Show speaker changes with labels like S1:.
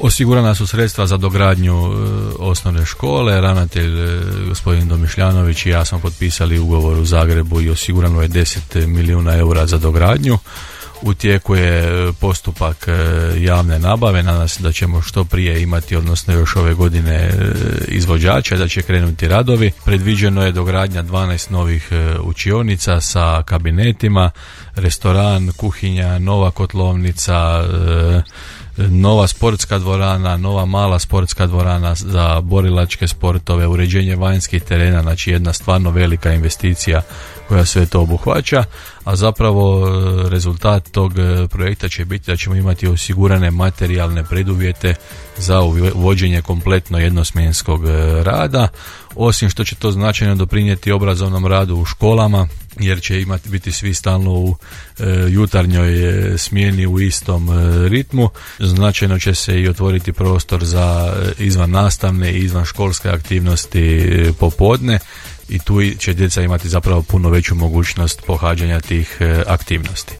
S1: Osigurana su sredstva za dogradnju osnovne škole. Ravnatelj gospodin Domišljanović i ja smo potpisali ugovor u Zagrebu i osigurano je 10 milijuna eura za dogradnju. U tijeku je postupak javne nabave, nadam se da ćemo što prije imati, odnosno još ove godine, izvođača, da će krenuti radovi. Predviđeno je dogradnja 12 novih učionica sa kabinetima, restoran, kuhinja, nova kotlovnica, nova sportska dvorana, nova mala sportska dvorana za borilačke sportove, uređenje vanjskih terena, znači jedna stvarno velika investicija koja sve to obuhvaća, a zapravo rezultat tog projekta će biti da ćemo imati osigurane materijalne preduvjete za uvođenje kompletno jednosmjenskog rada, osim što će to značajno doprinijeti obrazovnom radu u školama, jer će biti svi stalno u jutarnjoj smjeni u istom ritmu. Značajno će se i otvoriti prostor za izvan nastavne i izvan školske aktivnosti popodne i tu će djeca imati zapravo puno veću mogućnost pohađanja tih aktivnosti.